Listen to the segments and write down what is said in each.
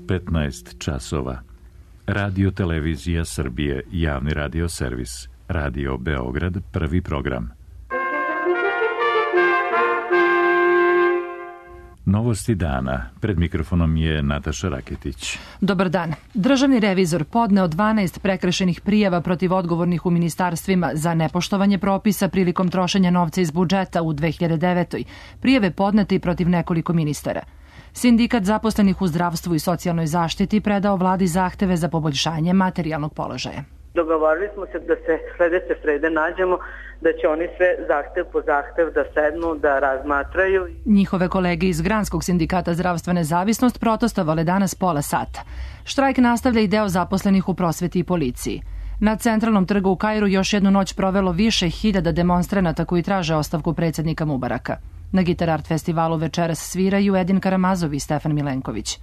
15 časova. Radio Televizija Srbije, javni radio servis. Radio Beograd, prvi program. Novosti dana. Pred mikrofonom je Nataša Raketić. Dobar dan. Državni revizor podneo 12 prekršajnih prijava protiv odgovornih u ministarstvima za nepoštovanje propisa prilikom trošenja novca iz budžeta u 2009. Prijave podnete i protiv nekoliko ministara. Sindikat zaposlenih u zdravstvu i socijalnoj zaštiti predao vladi zahteve za poboljšanje materijalnog položaja. Dogovorili smo se da se sledeće srede nađemo, da će oni sve zahtev po zahtev da sednu, da razmatraju. Njihove kolege iz Granskog sindikata zdravstva Nezavisnost protestovale danas pola sata. Štrajk nastavlja i deo zaposlenih u prosveti i policiji. Na centralnom trgu u Kairu još jednu noć provelo više hiljada demonstranata koji traže ostavku predsjednika Mubaraka. Na Gitar Art festivalu večeras sviraju Edin Karamazov i Stefan Milenković.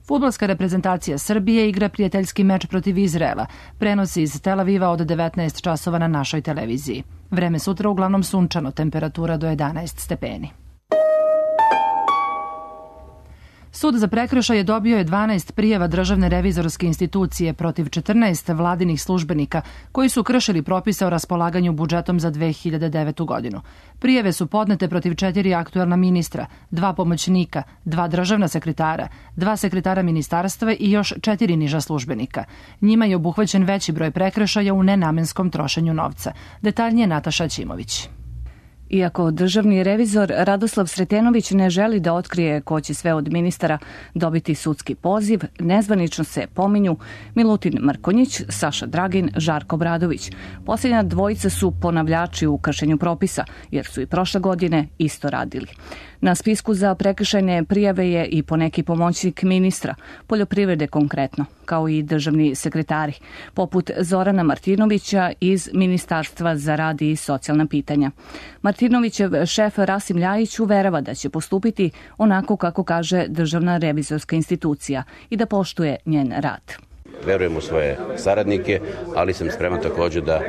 Fudbalska reprezentacija Srbije igra prijateljski meč protiv Izraela. Prenosi iz Tel Aviva od 19 časova na našoj televiziji. Vreme sutra uglavnom sunčano, temperatura do 11 stepeni. Sud za prekršaje dobio je 12 prijava Državne revizorske institucije protiv 14 vladinih službenika koji su kršili propise o raspolaganju budžetom za 2009. godinu. Prijave su podnete protiv 4 aktuelna ministra, 2 pomoćnika, 2 državna sekretara, 2 sekretara ministarstva i još 4 niža službenika. Njima je obuhvaćen veći broj prekršaja u nenamenskom trošenju novca. Detaljnije Nataša Ćimović. Iako državni revizor Radoslav Sretenović ne želi da otkrije ko će sve od ministara dobiti sudski poziv, nezvanično se pominju Milutin Mrkonjić, Saša Dragin, Žarko Obradović. Posljednja dvojica su ponavljači u kršenju propisa, jer su i prošle godine isto radili. Na spisku za prekršajne prijave je i poneki pomoćnik ministra, poljoprivrede konkretno, kao i državni sekretari, poput Zorana Martinovića iz Ministarstva za rad i socijalna pitanja. Martinovićev šef Rasim Ljajić uverava da će postupiti onako kako kaže Državna revizorska institucija i da poštuje njen rad. Verujem u svoje saradnike, ali sam spreman također da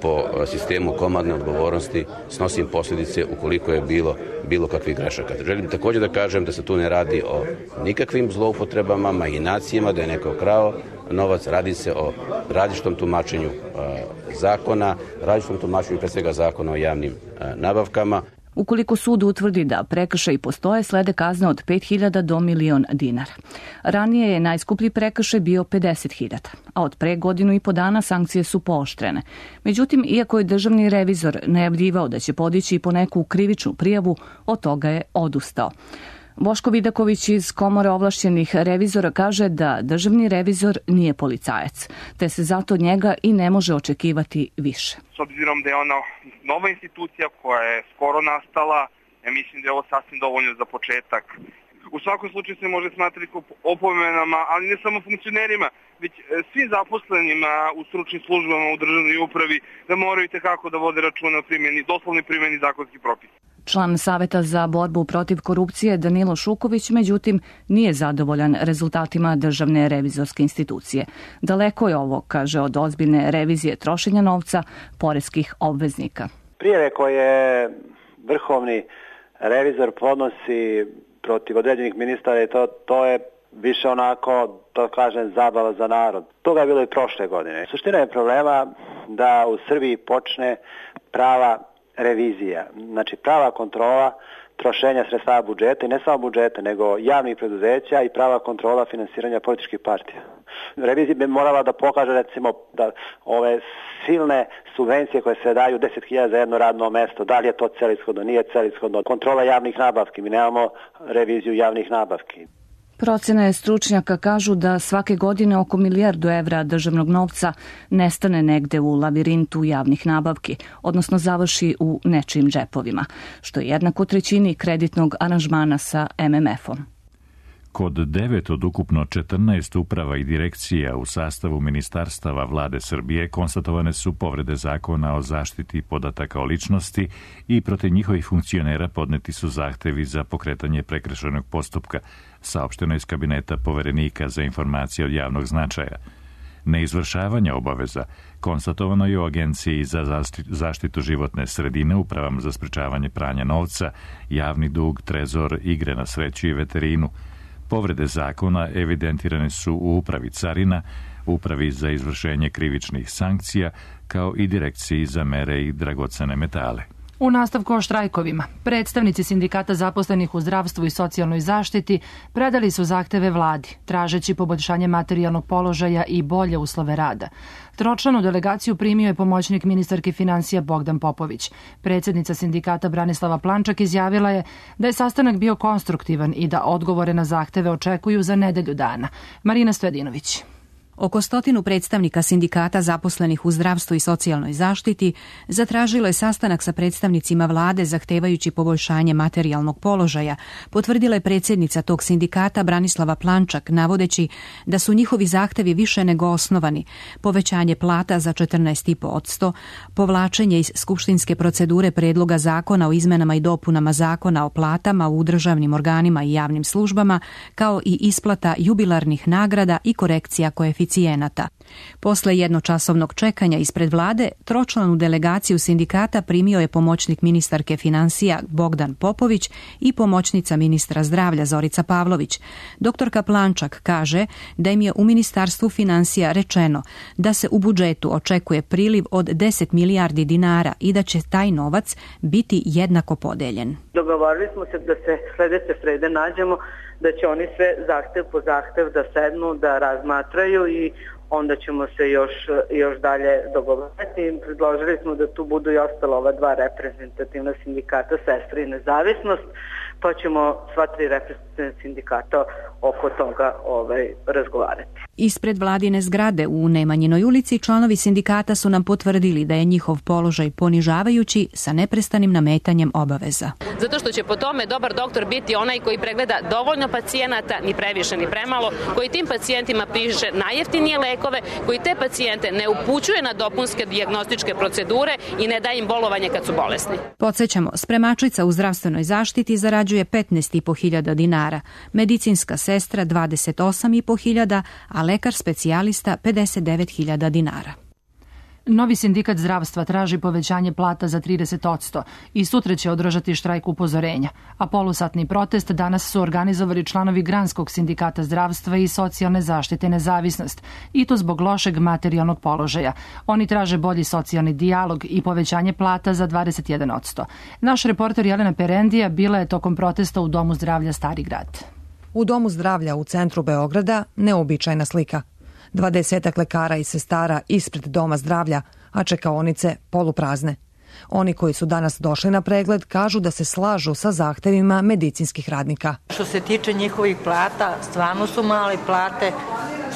po sistemu komandne odgovornosti snosim posljedice ukoliko je bilo kakvih grešaka. Želim također da kažem da se tu ne radi o nikakvim zloupotrebama, mahinacijama, da je neko krao novac, radi se o različitom tumačenju zakona, različitom tumačenju pre svega zakona o javnim nabavkama. Ukoliko sud utvrdi da prekršaji postoje, slede kazne od 5.000 do 1.000.000 dinara. Ranije je najskuplji prekršaj bio 50.000, a od pre godinu i po dana sankcije su pooštrene. Međutim, iako je državni revizor najavljivao da će podići i po neku krivičnu prijavu, od toga je odustao. Boško Vidaković iz Komore ovlašćenih revizora kaže da državni revizor nije policajac, te se zato od njega i ne može očekivati više. S obzirom da je ona nova institucija koja je skoro nastala, ja mislim da je ovo sasvim dovoljno za početak. U svakom slučaju se može smatrati opomenama, ali ne samo funkcionerima, već svim zaposlenima u stručnim službama u državnoj upravi da moraju tekako da vode računa o doslovnoj primjeni zakonskih propisa. Član Saveta za borbu protiv korupcije Danilo Šuković, međutim, nije zadovoljan rezultatima Državne revizorske institucije. Daleko je ovo, kaže, od ozbiljne revizije trošenja novca poreskih obveznika. Prijave koje vrhovni revizor podnosi protiv određenih ministara, to je više onako, to kažem, zabava za narod. Toga je bilo i prošle godine. Suština je problema da u Srbiji počne prava revizija, znači prava kontrola trošenja sredstava budžeta i ne samo budžeta, nego javnih preduzeća i prava kontrola finansiranja političkih partija. Revizija bi morala da pokaže, recimo, da ove silne subvencije koje se daju 10.000 za jedno radno mesto, da li je to celishodno, nije celishodno. Kontrola javnih nabavki, mi nemamo reviziju javnih nabavki. Procene stručnjaka kažu da svake godine oko 1 milijardu evra državnog novca nestane negde u lavirintu javnih nabavki, odnosno završi u nečijim džepovima, što je jednako trećini kreditnog aranžmana sa MMF-om. Kod 9 od ukupno 14 uprava i direkcija u sastavu ministarstava Vlade Srbije konstatovane su povrede zakona o zaštiti podataka o ličnosti i protiv njihovih funkcionera podneti su zahtevi za pokretanje prekršajnog postupka, saopšteno iz kabineta poverenika za informacije od javnog značaja. Neizvršavanje obaveza konstatovano je u Agenciji za zaštitu životne sredine, upravama za sprečavanje pranja novca, javni dug, trezor, igre na sreću i veterinu. Povrede zakona evidentirane su u Upravi carina, Upravi za izvršenje krivičnih sankcija, kao i Direkciji za mere i dragocene metale. U nastavku o štrajkovima, predstavnici sindikata zaposlenih u zdravstvu i socijalnoj zaštiti predali su zahteve vladi, tražeći poboljšanje materijalnog položaja i bolje uslove rada. Tročlanu delegaciju primio je pomoćnik ministarke finansija Bogdan Popović. Predsjednica sindikata Branislava Plančak izjavila je da je sastanak bio konstruktivan i da odgovore na zahteve očekuju za nedelju dana. Marina Stojadinović. Oko 100 predstavnika sindikata zaposlenih u zdravstvu i socijalnoj zaštiti zatražilo je sastanak sa predstavnicima vlade zahtevajući poboljšanje materijalnog položaja, potvrdila je predsjednica tog sindikata Branislava Plančak, navodeći da su njihovi zahtevi više nego osnovani: povećanje plata za 14,5%, povlačenje iz skupštinske procedure predloga zakona o izmenama i dopunama zakona o platama u državnim organima i javnim službama, kao i isplata jubilarnih nagrada i korekcija koeficijenata. Posle jednočasovnog čekanja ispred vlade, tročlanu delegaciju sindikata primio je pomoćnik ministarke finansija Bogdan Popović i pomoćnica ministra zdravlja Zorica Pavlović. Doktorka Plančak kaže da im je u Ministarstvu finansija rečeno da se u budžetu očekuje priliv od 10 milijardi dinara i da će taj novac biti jednako podeljen. Dogovorili smo se da se sledeće srede nađemo, da će oni sve zahtev po zahtev da sednu, da razmatraju i onda ćemo se još dalje dogovoriti. Predložili smo da tu budu i ostala ova dva reprezentativna sindikata, Sestre i Nezavisnost, pa ćemo sva tri reprezentativna sindikata oko toga razgovarati. Ispred vladine zgrade u Nemanjinoj ulici članovi sindikata su nam potvrdili da je njihov položaj ponižavajući sa neprestanim nametanjem obaveza. Zato što će po tome dobar doktor biti onaj koji pregleda dovoljno pacijenata, ni previše ni premalo, koji tim pacijentima piše najjeftinije lekove, koji te pacijente ne upućuje na dopunske dijagnostičke procedure i ne daje im bolovanje kad su bolesni. Podsjećamo, spremačica u zdravstvenoj zaštiti zarađuje 15.500 dinara, medicinska sestra 28.500, a lekar specijalista 59.000 dinara. Novi sindikat zdravstva traži povećanje plata za 30% i sutra će održati štrajk upozorenja, a polusatni protest danas su organizovali članovi Granskog sindikata zdravstva i socijalne zaštite Nezavisnost, i to zbog lošeg materijalnog položaja. Oni traže bolji socijalni dijalog i povećanje plata za 21%. Naš reporter Jelena Perendija bila je tokom protesta u Domu zdravlja Stari grad. U Domu zdravlja u centru Beograda neobičajna slika. 20 lekara i sestara ispred Doma zdravlja, a čekaonice poluprazne. Oni koji su danas došli na pregled kažu da se slažu sa zahtevima medicinskih radnika. Što se tiče njihovih plata, stvarno su male plate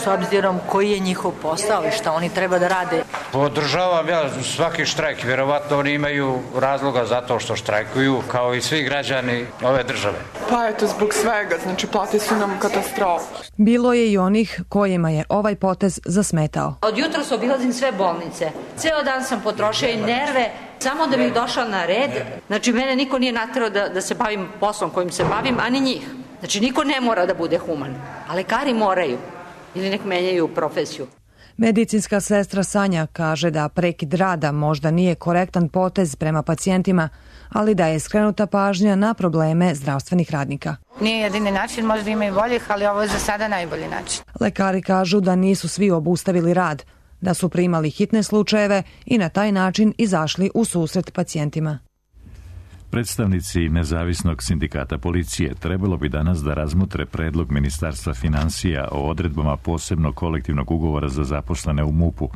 s obzirom koji je njihov posao i šta oni treba da rade. Podržavam ja svaki štrajk, vjerovatno oni imaju razloga zato što štrajkuju, kao i svi građani ove države. Pa eto, zbog svega, znači plate su nam katastrofa. Bilo je i onih kojima je ovaj potez zasmetao. Od jutros obilazim sve bolnice. Ceo dan sam potrošio i nerve, samo da bih došla na red. Znači, mene niko nije naterao da se bavim poslom kojim se bavim, a ni njih. Znači, niko ne mora da bude human, a lekari moraju ili nek menjaju profesiju. Medicinska sestra Sanja kaže da prekid rada možda nije korektan potez prema pacijentima, ali da je skrenuta pažnja na probleme zdravstvenih radnika. Nije jedini način, možda ima i boljih, ali ovo je za sada najbolji način. Lekari kažu da nisu svi obustavili rad, da su primali hitne slučajeve i na taj način izašli u susret pacijentima. Predstavnici Nezavisnog sindikata policije trebalo bi danas da razmotre predlog Ministarstva finansija o odredbama posebnog kolektivnog ugovora za zaposlene u MUP-u.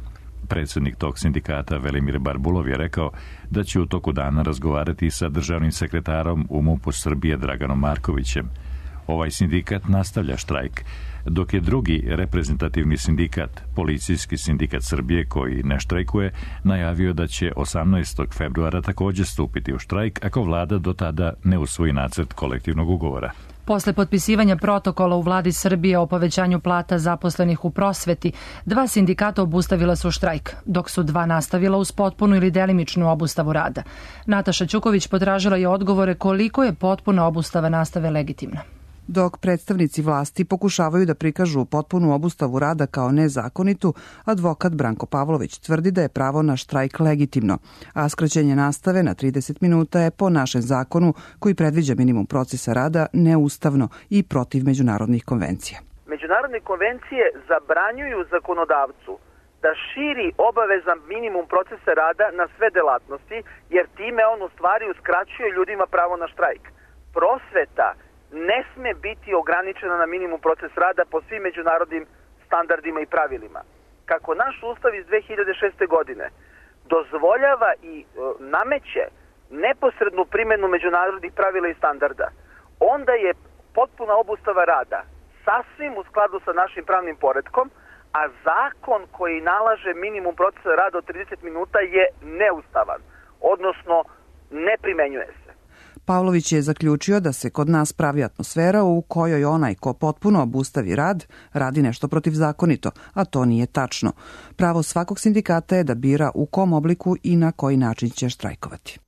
Predsjednik tog sindikata Velimir Barbulov je rekao da će u toku dana razgovarati sa državnim sekretarom u MUP-u Srbije Draganom Markovićem. Ovaj sindikat nastavlja štrajk, dok je drugi reprezentativni sindikat, Policijski sindikat Srbije, koji ne štrajkuje, najavio da će 18. februara također stupiti u štrajk ako vlada do tada ne usvoji nacrt kolektivnog ugovora. Posle potpisivanja protokola u vladi Srbije o povećanju plata zaposlenih u prosveti, 2 sindikata obustavila su štrajk, dok su 2 nastavila uz potpunu ili delimičnu obustavu rada. Nataša Ćuković potražila je odgovore koliko je potpuna obustava nastave legitimna. Dok predstavnici vlasti pokušavaju da prikažu potpunu obustavu rada kao nezakonitu, advokat Branko Pavlović tvrdi da je pravo na štrajk legitimno, a skraćenje nastave na 30 minuta je po našem zakonu koji predviđa minimum procesa rada neustavno i protiv međunarodnih konvencija. Međunarodne konvencije zabranjuju zakonodavcu da širi obavezan minimum procesa rada na sve delatnosti, jer time on u stvari uskraćuje ljudima pravo na štrajk. Prosveta ne sme biti ograničena na minimum proces rada po svim međunarodnim standardima i pravilima. Kako naš ustav iz 2006. godine dozvoljava i nameće neposrednu primjenu međunarodnih pravila i standarda, onda je potpuna obustava rada sasvim u skladu sa našim pravnim poretkom, a zakon koji nalaže minimum procesa rada od 30 minuta je neustavan, odnosno ne primenjuje se. Pavlović je zaključio da se kod nas pravi atmosfera u kojoj onaj ko potpuno obustavi rad radi nešto protivzakonito, a to nije tačno. Pravo svakog sindikata je da bira u kom obliku i na koji način će štrajkovati.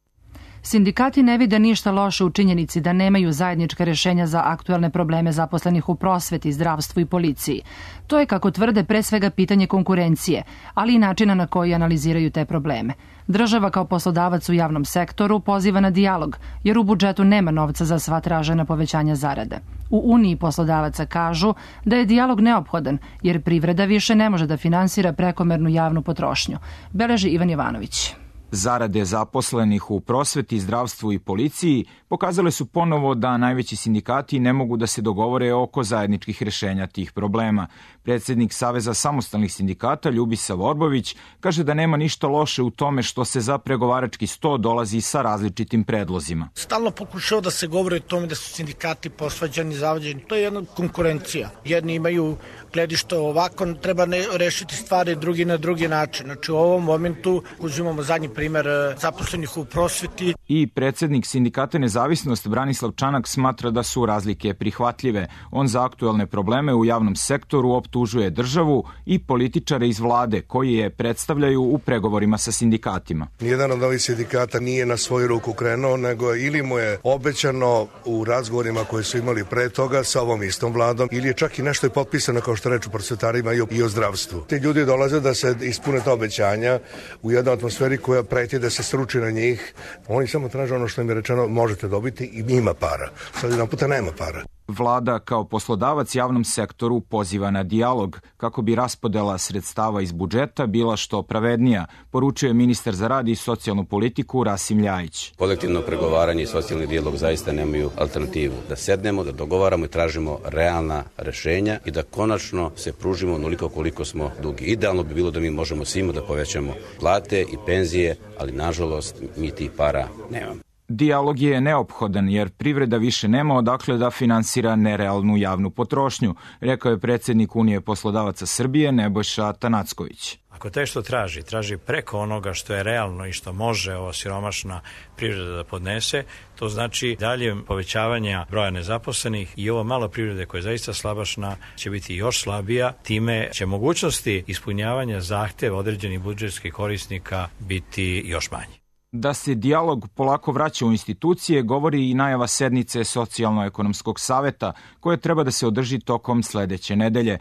Sindikati ne vide ništa loše u činjenici da nemaju zajednička rješenja za aktuelne probleme zaposlenih u prosveti, zdravstvu i policiji. To je, kako tvrde, pre svega pitanje konkurencije, ali i načina na koji analiziraju te probleme. Država kao poslodavac u javnom sektoru poziva na dijalog, jer u budžetu nema novca za sva tražena povećanja zarade. U Uniji poslodavaca kažu da je dijalog neophodan, jer privreda više ne može da finansira prekomernu javnu potrošnju. Beleži Ivan Jovanović. Zarade zaposlenih u prosveti, zdravstvu i policiji pokazale su ponovo da najveći sindikati ne mogu da se dogovore oko zajedničkih rješenja tih problema. Predsjednik Saveza samostalnih sindikata Ljubisav Orbović kaže da nema ništa loše u tome što se za pregovarački sto dolazi sa različitim predlozima. Stalno pokušao da se govori o tome da su sindikati posvađani, zavađeni. To je jedna konkurencija. Jedni imaju gledište ovako, treba rešiti stvari drugi na drugi način. Znači u ovom momentu uzimamo zadnji primer zaposlenih u prosveti. I predsjednik sindikata Nezavisnost Branislav Čanak smatra da su razlike prihvatljive. On za aktuelne probleme u javnom sektoru optužuje državu i političare iz vlade koji je predstavljaju u pregovorima sa sindikatima. Nijedan od ovih sindikata nije na svoju ruku krenuo, nego ili mu je obećano u razgovorima koje su imali pre toga sa ovom istom vladom, ili je čak i nešto je potpisano, kao što reču prosvetarima, i o zdravstvu. Ti ljudi dolaze da se ispune ta obećanja u jednoj atmosferi koja preti da se sruči na njih. Oni samo traže ono što im je rečeno, možete dobiti i ima para. Sad jedan puta nema para. Vlada kao poslodavac javnom sektoru poziva na dijalog kako bi raspodela sredstava iz budžeta bila što pravednija, poručuje ministar za rad i socijalnu politiku Rasim Ljajić. Kolektivno pregovaranje i socijalni dijalog zaista nemaju alternativu. Da sednemo, da dogovaramo i tražimo realna rešenja i da konačno se pružimo onoliko koliko smo dugi. Idealno bi bilo da mi možemo svima da povećamo plate i penzije, ali nažalost mi tih para nemamo. Dijalog je neophodan jer privreda više nema odakle da finansira nerealnu javnu potrošnju, rekao je predsjednik Unije poslodavaca Srbije Nebojša Tanacković. Ako taj što traži preko onoga što je realno i što može ova siromašna privreda da podnese, to znači dalje povećavanja broja nezaposlenih i ova mala privreda koja je zaista slabašna će biti još slabija, time će mogućnosti ispunjavanja zahteva određenih budžetskih korisnika biti još manje. Da se dijalog polako vraća u institucije govori i najava sednice Socijalno-ekonomskog saveta koje treba da se održi tokom sledeće nedelje.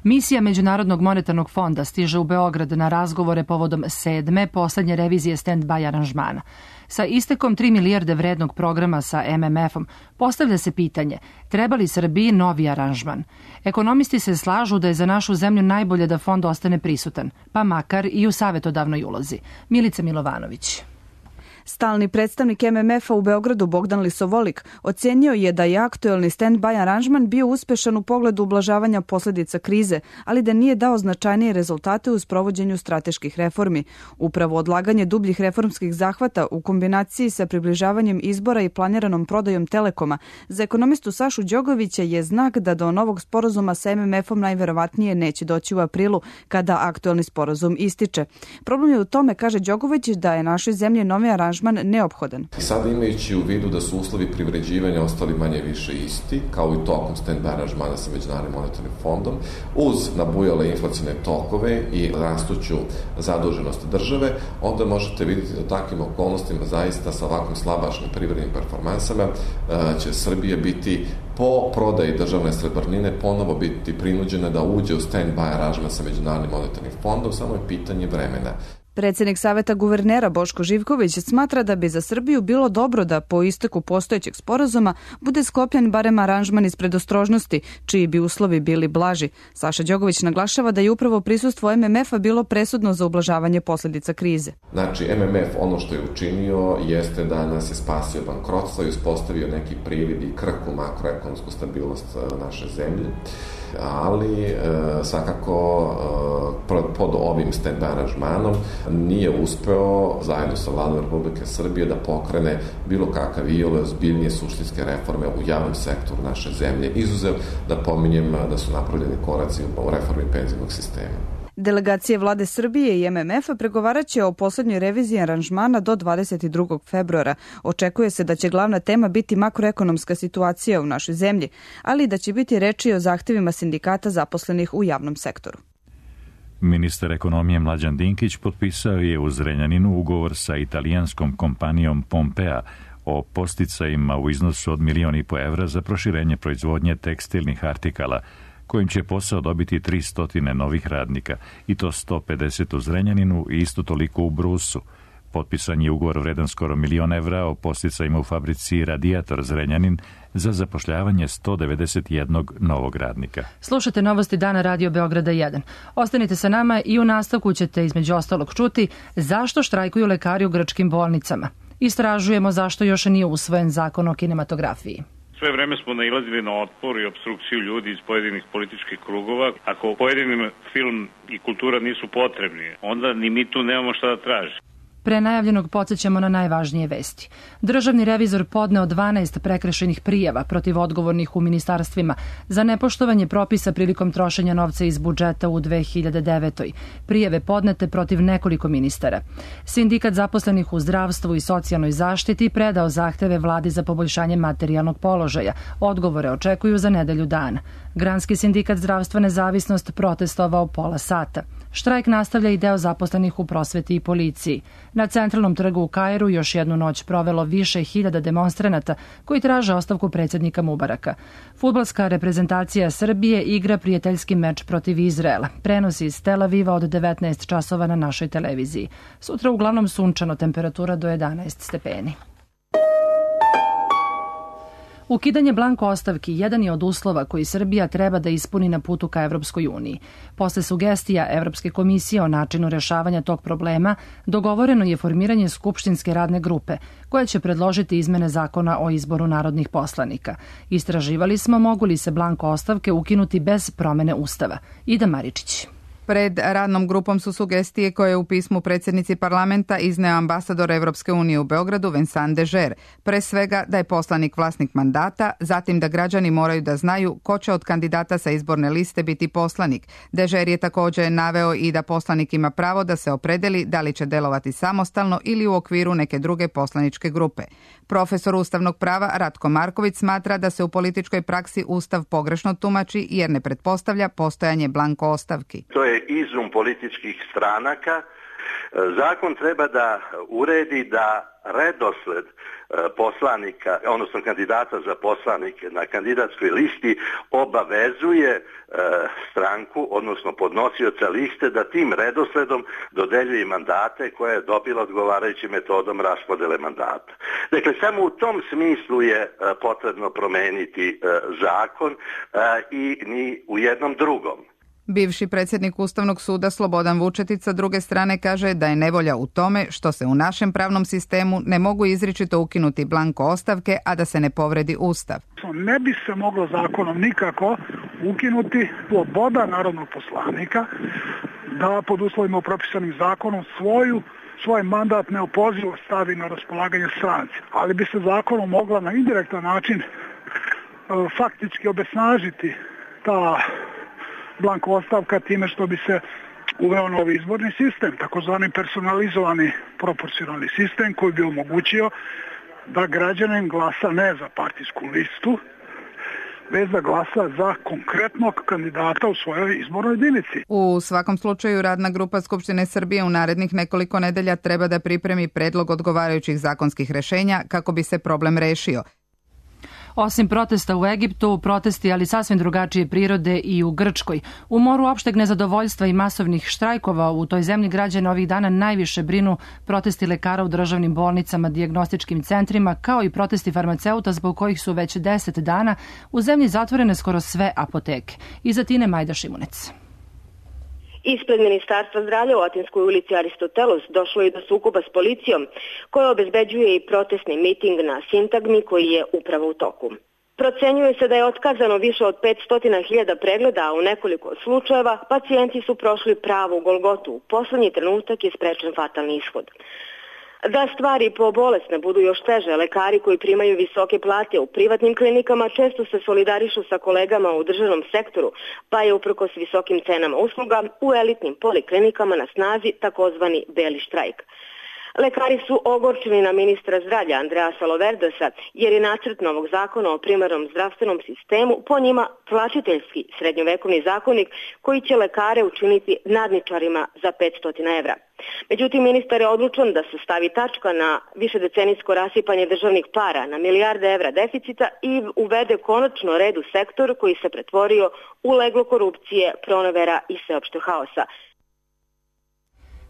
Misija Međunarodnog monetarnog fonda stiže u Beograd na razgovore povodom 7. poslednje revizije stand-by aranžmana. Sa istekom 3 milijarde vrednog programa sa MMF-om postavlja se pitanje treba li Srbiji novi aranžman. Ekonomisti se slažu da je za našu zemlju najbolje da fond ostane prisutan, pa makar i u savetodavnoj ulozi. Milica Milovanović. Stalni predstavnik MMF-a u Beogradu Bogdan Lisovolik ocenio je da je aktuelni stand-by aranžman bio uspešan u pogledu ublažavanja posljedica krize, ali da nije dao značajnije rezultate u sprovođenju strateških reformi. Upravo odlaganje dubljih reformskih zahvata u kombinaciji sa približavanjem izbora i planiranom prodajom Telekoma za ekonomistu Sašu Đogovića je znak da do novog sporazuma sa MMF-om najverovatnije neće doći u aprilu kada aktuelni sporazum ističe. Problem je u tome, kaže Đogović, da je našoj zemlji novi aranžman aranžman neophodan. Sada imajući u vidu da su uslovi privređivanja ostali manje više isti, kao i tokom stand-by aranžmana sa Međunarodnim monetarnim fondom, uz nabujale inflacione tokove i rastuću zaduženost države, onda možete vidjeti da takvim okolnostima zaista sa ovakvim slabašnim privrednim performansama će Srbija biti po prodaji državne srebrnine ponovo biti prinuđena da uđe u stand-by aranžman sa Međunarodnim monetarnim fondom, samo je pitanje vremena. Predsjednik Saveta guvernera Boško Živković smatra da bi za Srbiju bilo dobro da po isteku postojećeg sporazuma bude sklopljen barem aranžman iz predostrožnosti, čiji bi uslovi bili blaži. Saša Đogović naglašava da je upravo prisustvo MMF-a bilo presudno za ublažavanje posljedica krize. Znači, MMF ono što je učinio jeste da nas je spasio bankrotstva i uspostavio neki privid i krhku makroekonomsku stabilnost naše zemlje, ali svakako pod ovim stand-by aranžmanom nije uspeo zajedno sa Vladom Republike Srbije da pokrene bilo kakav iole ozbiljnije suštinske reforme u javnom sektoru naše zemlje, izuzev da pominjem da su napravljeni koraci u reformi penzijnog sistema. Delegacije Vlade Srbije i MMF-a pregovaraće o poslednjoj reviziji aranžmana do 22. februara. Očekuje se da će glavna tema biti makroekonomska situacija u našoj zemlji, ali i da će biti reči o zahtevima sindikata zaposlenih u javnom sektoru. Ministar ekonomije Mlađan Dinkić potpisao je u Zrenjaninu ugovor sa italijanskom kompanijom Pompea o podsticajima u iznosu od 1,5 miliona za proširenje proizvodnje tekstilnih artikala, kojim će posao dobiti 300 novih radnika, i to 150 u Zrenjaninu i isto toliko u Brusu. Potpisan je ugovor vredan skoro 1 milion evra o podsticajima u fabrici Radijator Zrenjanin za zapošljavanje 191 novog radnika. Slušate novosti dana Radio Beograda 1. Ostanite sa nama i u nastavku ćete između ostalog čuti zašto štrajkuju lekari u grčkim bolnicama. Istražujemo zašto još nije usvojen zakon o kinematografiji. Sve vreme smo nailazili na otpor i opstrukciju ljudi iz pojedinih političkih krugova. Ako pojedinim film i kultura nisu potrebni, onda ni mi tu nemamo šta da tražimo. Pre najavljenog podsjećamo na najvažnije vesti. Državni revizor podneo 12 prekršajnih prijava protiv odgovornih u ministarstvima za nepoštovanje propisa prilikom trošenja novca iz budžeta u 2009. Prijave podnete protiv nekoliko ministara. Sindikat zaposlenih u zdravstvu i socijalnoj zaštiti predao zahteve Vladi za poboljšanje materijalnog položaja. Odgovore očekuju za nedelju dana. Granski sindikat Zdravstva Nezavisnost protestovao pola sata. Štrajk nastavlja i deo zaposlenih u prosveti i policiji. Na centralnom trgu u Kairu još jednu noć provelo više hiljada demonstranata koji traže ostavku predsjednika Mubaraka. Fudbalska reprezentacija Srbije igra prijateljski meč protiv Izraela. Prenosi iz Tel Aviva od 19 časova na našoj televiziji. Sutra uglavnom sunčano, temperatura do 11 stepeni. Ukidanje blanko ostavki jedan je od uslova koji Srbija treba da ispuni na putu ka Evropskoj uniji. Posle sugestija Evropske komisije o načinu rešavanja tog problema, dogovoreno je formiranje skupštinske radne grupe, koja će predložiti izmene zakona o izboru narodnih poslanika. Istraživali smo mogu li se blanko ostavke ukinuti bez promene Ustava. Ida Maričić. Pred radnom grupom su sugestije koje je u pismu predsjednici parlamenta izneo ambasador Evropske unije u Beogradu Vincent Dežer. Pre svega da je poslanik vlasnik mandata, zatim da građani moraju da znaju ko će od kandidata sa izborne liste biti poslanik. Dežer je također naveo i da poslanik ima pravo da se opredeli da li će delovati samostalno ili u okviru neke druge poslaničke grupe. Profesor ustavnog prava Ratko Marković smatra da se u političkoj praksi Ustav pogrešno tumači jer ne pretpostavlja postojanje blanko ostavki. To je izum političkih stranaka. Zakon treba da uredi da redosled poslanika, odnosno kandidata za poslanike na kandidatskoj listi obavezuje stranku, odnosno podnosioca liste, da tim redosledom dodeljuje mandate koje je dobila odgovarajućim metodom raspodele mandata. Dakle, samo u tom smislu je potrebno promeniti zakon i ni u jednom drugom. Bivši predsjednik Ustavnog suda Slobodan Vučetić sa druge strane kaže da je nevolja u tome što se u našem pravnom sistemu ne mogu izričito ukinuti blanko ostavke, a da se ne povredi Ustav. Ne bi se moglo zakonom nikako ukinuti sloboda narodnog poslanika da pod uslovima propisanim zakonom svoj mandat neopozivo stavi na raspolaganje stranci. Ali bi se zakonom mogla na indirektan način faktički obesnažiti ta blanko ostavka time što bi se uveo novi izborni sistem, takozvani personalizovani proporcionalni sistem koji bi omogućio da građanin glasa ne za partijsku listu, već da glasa za konkretnog kandidata u svojoj izbornoj jedinici. U svakom slučaju, Radna grupa Skupštine Srbije u narednih nekoliko nedelja treba da pripremi predlog odgovarajućih zakonskih rešenja kako bi se problem rešio. Osim protesta u Egiptu, protesti, ali sasvim drugačije prirode i u Grčkoj. U moru opšteg nezadovoljstva i masovnih štrajkova u toj zemlji građana ovih dana najviše brinu protesti lekara u državnim bolnicama, dijagnostičkim centrima, kao i protesti farmaceuta zbog kojih su već 10 dana u zemlji zatvorene skoro sve apoteke. Iza Tine Majda Šimunec. Ispred Ministarstva zdravlja u Atinskoj ulici Aristotelos došlo je do sukoba s policijom, koja obezbeđuje i protestni miting na Sintagmi koji je upravo u toku. Procenjuje se da je otkazano više od 500.000 pregleda, a u nekoliko slučajeva pacijenti su prošli pravu golgotu. U poslednji trenutak je sprečen fatalni ishod. Da stvari po bolesne budu još teže, lekari koji primaju visoke plate u privatnim klinikama često se solidarišu sa kolegama u državnom sektoru, pa je uprkos visokim cenama usluga u elitnim poliklinikama na snazi takozvani beli štrajk. Lekari su ogorčeni na ministra zdravlja Andreja Saloverdosa jer je nacrt novog zakona o primarnom zdravstvenom sistemu po njima tlačiteljski srednjovekovni zakonik koji će lekare učiniti nadničarima za 500 evra. Međutim, ministar je odlučan da se stavi tačka na višedecenijsko rasipanje državnih para na milijarde evra deficita i uvede konačno red u sektor koji se pretvorio u leglo korupcije, pronevera i sveopšteg haosa.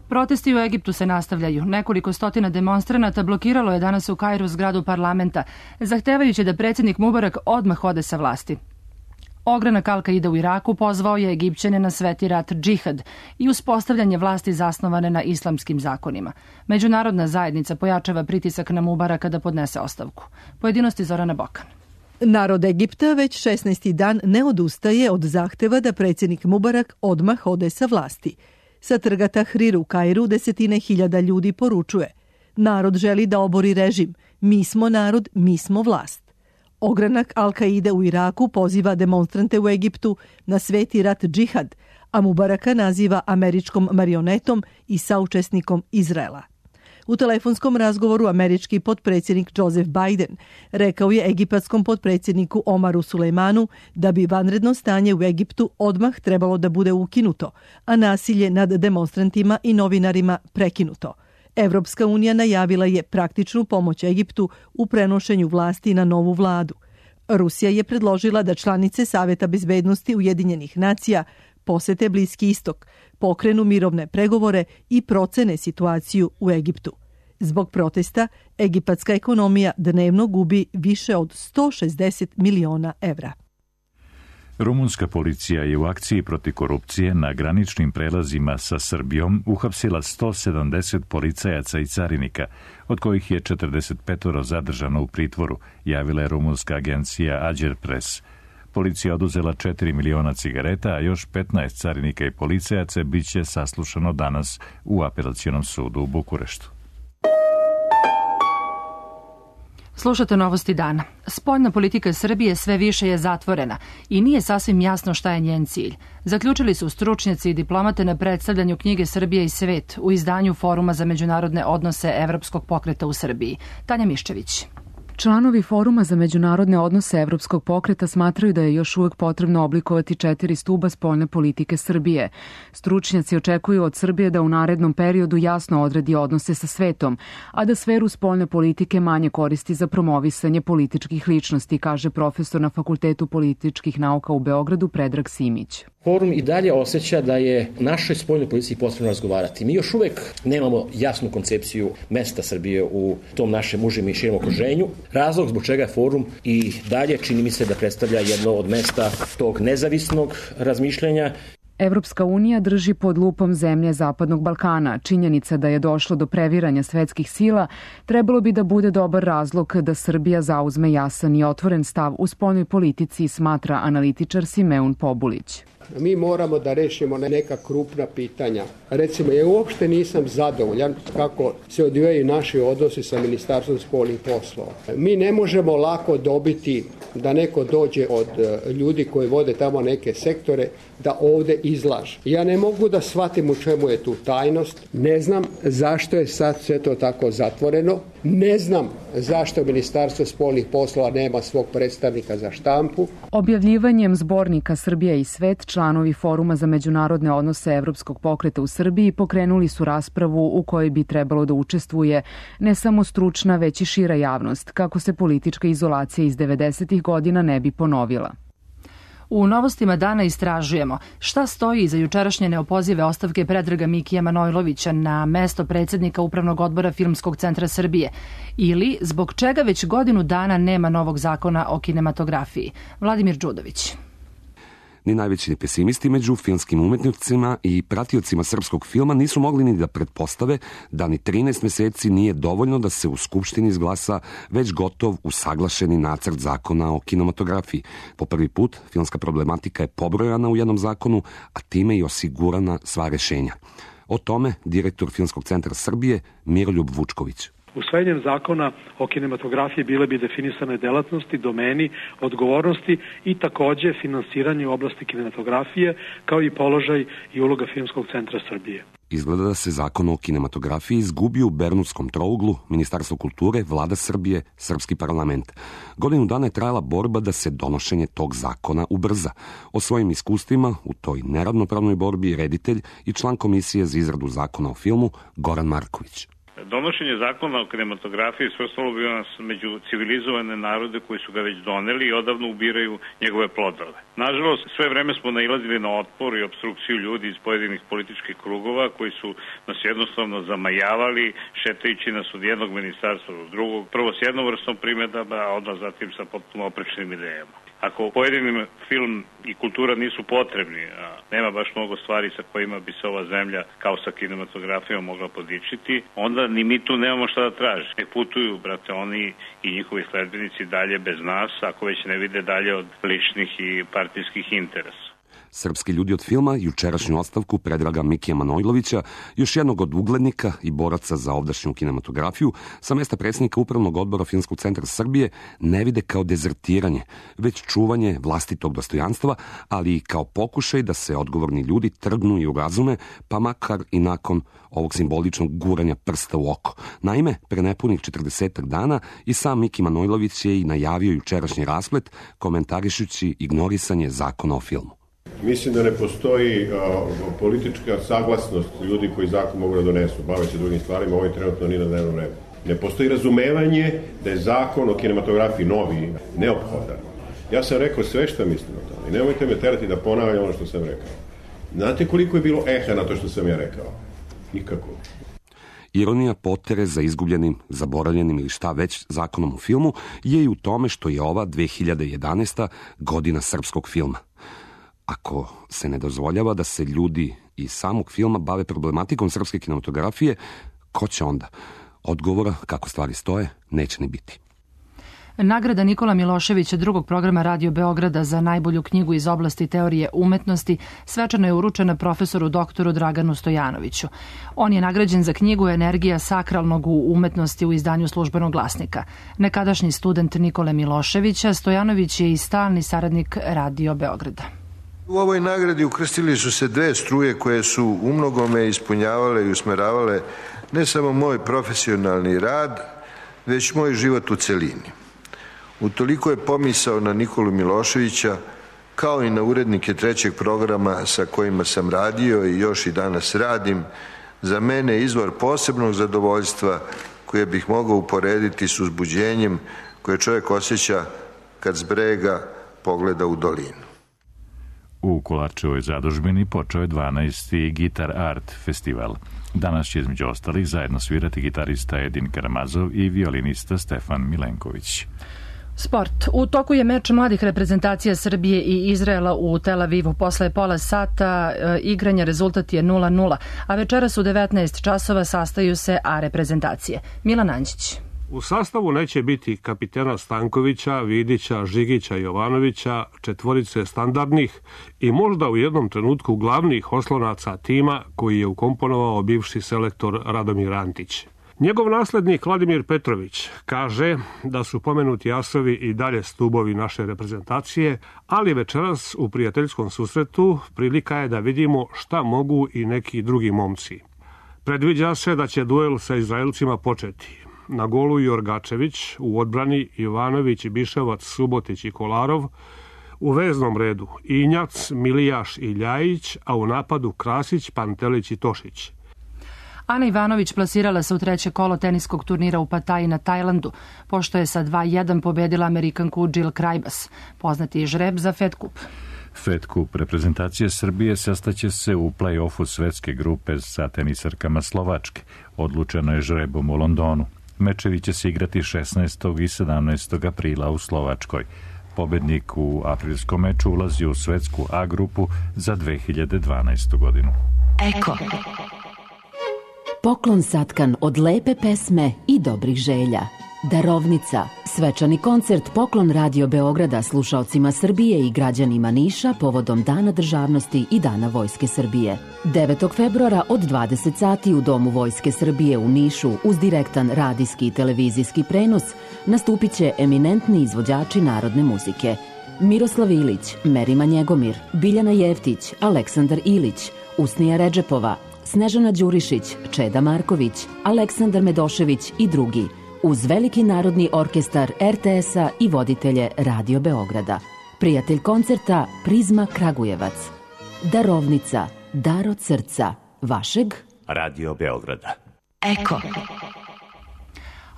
Protesti u Egiptu se nastavljaju. Nekoliko stotina demonstranata blokiralo je danas u Kairu zgradu parlamenta, zahtevajući da predsjednik Mubarak odmah ode sa vlasti. Ogranak Al-Kaide u Iraku pozvao je Egipćane na sveti rat džihad i uspostavljanje vlasti zasnovane na islamskim zakonima. Međunarodna zajednica pojačava pritisak na Mubaraka da podnese ostavku. Pojedinosti Zorana Bokan. Narod Egipta već 16. dan ne odustaje od zahteva da predsjednik Mubarak odmah ode sa vlasti. Sa trga Tahrir u Kairu desetine hiljada ljudi poručuje: narod želi da obori režim, mi smo narod, mi smo vlast. Ogranak Al-Kaide u Iraku poziva demonstrante u Egiptu na sveti rat džihad, a Mubaraka naziva američkom marionetom i saučesnikom Izraela. U telefonskom razgovoru američki potpredsjednik Joseph Biden rekao je egipatskom potpredsjedniku Omaru Sulejmanu da bi vanredno stanje u Egiptu odmah trebalo da bude ukinuto, a nasilje nad demonstrantima i novinarima prekinuto. Evropska unija najavila je praktičnu pomoć Egiptu u prenošenju vlasti na novu vladu. Rusija je predložila da članice Saveta bezbednosti Ujedinjenih nacija posete Bliski istok, pokrenu mirovne pregovore i procene situaciju u Egiptu. Zbog protesta, egipatska ekonomija dnevno gubi više od 160 miliona evra. Rumunska policija je u akciji protiv korupcije na graničnim prelazima sa Srbijom uhapsila 170 policajaca i carinika, od kojih je 45 zadržano u pritvoru, javila je rumunska agencija Agerpres. Policija oduzela 4 miliona cigareta, a još 15 carinika i policajaca biće saslušano danas u apelacionom sudu u Bukureštu. Slušate novosti dana. Spoljna politika Srbije sve više je zatvorena i nije sasvim jasno šta je njen cilj. Zaključili su stručnjaci i diplomate na predstavljanju knjige Srbija i svet u izdanju Foruma za međunarodne odnose Evropskog pokreta u Srbiji. Tanja Miščević. Članovi Foruma za međunarodne odnose Evropskog pokreta smatraju da je još uvek potrebno oblikovati 4 stuba spoljne politike Srbije. Stručnjaci očekuju od Srbije da u narednom periodu jasno odredi odnose sa svetom, a da sferu spoljne politike manje koristi za promovisanje političkih ličnosti, kaže profesor na Fakultetu političkih nauka u Beogradu Predrag Simić. Forum i dalje osjeća da je našoj spoljnoj politici potrebno razgovarati. Mi još uvek nemamo jasnu koncepciju mesta Srbije u tom našem užem i širem okruženju. Razlog zbog čega je forum i dalje čini mi se da predstavlja jedno od mesta tog nezavisnog razmišljanja. Evropska unija drži pod lupom zemlje Zapadnog Balkana. Činjenica da je došlo do previranja svetskih sila trebalo bi da bude dobar razlog da Srbija zauzme jasan i otvoren stav u spoljnoj politici, smatra analitičar Simeon Pobulić. Mi moramo da rešimo neka krupna pitanja. Recimo, ja uopšte nisam zadovoljan kako se odvijaju naši odnosi sa Ministarstvom spoljnih poslova. Mi ne možemo lako dobiti da neko dođe od ljudi koji vode tamo neke sektore da ovde izlaže. Ja ne mogu da shvatim u čemu je tu tajnost. Ne znam zašto je sad sve to tako zatvoreno. Ne znam zašto Ministarstvo spoljnih poslova nema svog predstavnika za štampu. Objavljivanjem zbornika Srbija i svet, članovi Foruma za međunarodne odnose Evropskog pokreta u Srbiji pokrenuli su raspravu u kojoj bi trebalo da učestvuje ne samo stručna, već i šira javnost, kako se politička izolacija iz 90. godina ne bi ponovila. U novostima dana istražujemo šta stoji iza jučerašnje neopozive ostavke Predraga Mikija Manojlovića na mesto predsjednika Upravnog odbora Filmskog centra Srbije ili zbog čega već godinu dana nema novog zakona o kinematografiji. Vladimir Đudović. Ni najveći pesimisti među filmskim umetnicima i pratiocima srpskog filma nisu mogli ni da pretpostave da ni 13 meseci nije dovoljno da se u Skupštini izglasa već gotov usaglašeni nacrt zakona o kinematografiji. Po prvi put filmska problematika je pobrojana u jednom zakonu, a time i osigurana sva rešenja. O tome direktor Filmskog centra Srbije Miroljub Vučković. Usvajanjem zakona o kinematografiji bile bi definisane delatnosti, domeni, odgovornosti i takođe finansiranje u oblasti kinematografije, kao i položaj i uloga Filmskog centra Srbije. Izgleda da se zakon o kinematografiji izgubio u Bermudskom trouglu, Ministarstvo kulture, Vlada Srbije, Srpski parlament. Godinu dana je trajala borba da se donošenje tog zakona ubrza. O svojim iskustvima u toj neravnopravnoj borbi reditelj i član Komisije za izradu zakona o filmu Goran Marković. Donošenje zakona o kinematografiji svrstalo bi nas među civilizovane narode koji su ga već doneli i odavno ubiraju njegove plodove. Nažalost, sve vreme smo nailazili na otpor i obstrukciju ljudi iz pojedinih političkih krugova koji su nas jednostavno zamajavali, šetajući nas od jednog ministarstva do drugog, prvo s jednom vrstom primjedaba, a odmah zatim sa potpuno oprečnim idejama. Ako pojedinim film i kultura nisu potrebni, a nema baš mnogo stvari sa kojima bi se ova zemlja kao sa kinematografijom mogla podičiti, onda ni mi tu nemamo šta da traži. Nek putuju, brate, oni i njihovi sledbenici dalje bez nas, ako već ne vide dalje od ličnih i partijskih interesa. Srpski ljudi od filma jučerašnju ostavku Predraga Mikija Manojlovića, još jednog od uglednika i boraca za ovdašnju kinematografiju, sa mesta predsjednika Upravnog odbora Filmskog centra Srbije ne vide kao dezertiranje, već čuvanje vlastitog dostojanstva, ali i kao pokušaj da se odgovorni ljudi trgnu i urazume, pa makar i nakon ovog simboličnog guranja prsta u oko. Naime, pre nepunih 40 dana i sam Miki Manojlović je i najavio jučerašnji rasplet, komentarišući ignorisanje zakona o filmu. Mislim da ne postoji politička saglasnost ljudi koji zakon mogu da donesu, bave se drugim stvarima, ovaj trenutno nije na dnevnom redu. Ne postoji razumevanje da je zakon o kinematografiji novi, neophodan. Ja sam rekao sve što mislim o tome i nemojte me terati da ponavljam ono što sam rekao. Znate koliko je bilo eha na to što sam ja rekao? Nikako. Ironija potere za izgubljenim, zaboravljenim ili šta već zakonom u filmu je i u tome što je ova 2011. godina srpskog filma. Ako se ne dozvoljava da se ljudi iz samog filma bave problematikom srpske kinematografije, ko će onda? Odgovora, kako stvari stoje, neće ni biti. Nagrada Nikola Miloševića drugog programa Radio Beograda za najbolju knjigu iz oblasti teorije umetnosti svečano je uručena profesoru doktoru Draganu Stojanoviću. On je nagrađen za knjigu Energija sakralnog u umetnosti u izdanju Službenog glasnika. Nekadašnji student Nikole Miloševića, Stojanović je i stalni saradnik Radio Beograda. U ovoj nagradi ukrstili su se dve struje koje su umnogome ispunjavale i usmeravale ne samo moj profesionalni rad, već moj život u celini. Utoliko je pomisao na Nikolu Miloševića, kao i na urednike trećeg programa sa kojima sam radio i još i danas radim, za mene izvor posebnog zadovoljstva koje bih mogao uporediti s uzbuđenjem koje čovjek osjeća kad s brega pogleda u dolinu. U Kolarčevoj zadužbini počeo je 12. Gitar Art festival. Danas će između ostalih zajedno svirati gitarista Edin Karamazov i violinista Stefan Milenković. Sport. U toku je meč mladih reprezentacija Srbije i Izraela u Tel Avivu. Posle pola sata igranja rezultat je 0-0, a večeras u 19 časova sastaju se A reprezentacije. Milan Anđić. U sastavu neće biti kapitena Stankovića, Vidića, Žigića, Jovanovića, četvorice standardnih i možda u jednom trenutku glavnih oslonaca tima koji je ukomponovao bivši selektor Radomir Antić. Njegov naslednik Vladimir Petrović kaže da su pomenuti asovi i dalje stubovi naše reprezentacije, ali večeras u prijateljskom susretu prilika je da vidimo šta mogu i neki drugi momci. Predviđa se da će duel sa Izraelcima početi. Na golu Jorgačević, u odbrani Jovanović, Biševac, Subotić i Kolarov, u veznom redu Injac, Milijaš i Ljajić, a u napadu Krasić, Pantelić i Tošić. Ana Ivanović plasirala se u treće kolo teniskog turnira u Pataji na Tajlandu, pošto je sa 2-1 pobedila Amerikanku Jill Krajbas, poznati žreb za Fed Cup. Fed Cup reprezentacije Srbije sastaće se u play-offu svetske grupe sa tenisarkama Slovačke. Odlučeno je žrebom u Londonu. Mečevi će se igrati 16. i 17. aprila u Slovačkoj. Pobednik u aprilskom meču ulazi u svetsku A grupu za 2012. godinu. Eko. Poklon satkan od lepe pesme i dobrih želja. Darovnica. Svečani koncert Poklon Radio Beograda slušaocima Srbije i građanima Niša povodom Dana državnosti i Dana Vojske Srbije. 9. februara od 20 sati u Domu Vojske Srbije u Nišu uz direktan radijski i televizijski prenos nastupit će eminentni izvođači narodne muzike. Miroslav Ilić, Merima Njegomir, Biljana Jeftić, Aleksandar Ilić, Usnija Redžepova, Snežana Đurišić, Čeda Marković, Aleksandar Medošević i drugi, uz veliki narodni orkestar RTS-a i voditelje Radio Beograda. Prijatelj koncerta Prizma Kragujevac. Darovnica, dar od srca, vašeg Radio Beograda. Eko.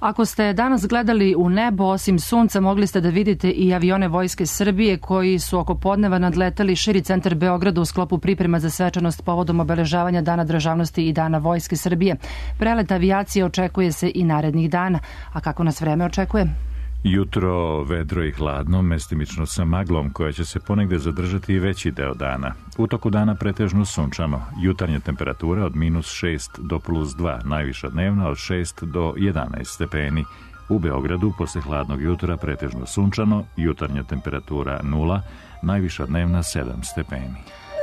Ako ste danas gledali u nebo, osim sunca, mogli ste da vidite i avione Vojske Srbije koji su oko podneva nadletali širi centar Beograda u sklopu priprema za svečanost povodom obeležavanja Dana državnosti i Dana Vojske Srbije. Prelet avijacije očekuje se i narednih dana. A kako nas vreme očekuje? Jutro vedro i hladno, mestimično sa maglom koja će se ponegde zadržati i veći deo dana. U toku dana pretežno sunčano. Jutarnja temperatura od -6 do +2, najviša dnevna od 6 do 11 stepeni. U Beogradu posle hladnog jutra pretežno sunčano, jutarnja temperatura 0, najviša dnevna 7 stepeni.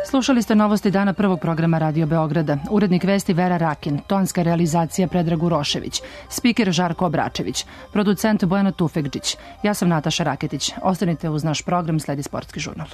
Slušali ste novosti dana prvog programa Radio Beograda. Urednik vesti Vera Rakin, tonska realizacija Predrag Urošević, spiker Žarko Obračević, producent Bojana Tufekđić. Ja sam Nataša Raketić. Ostanite uz naš program, sledi sportski žurnal.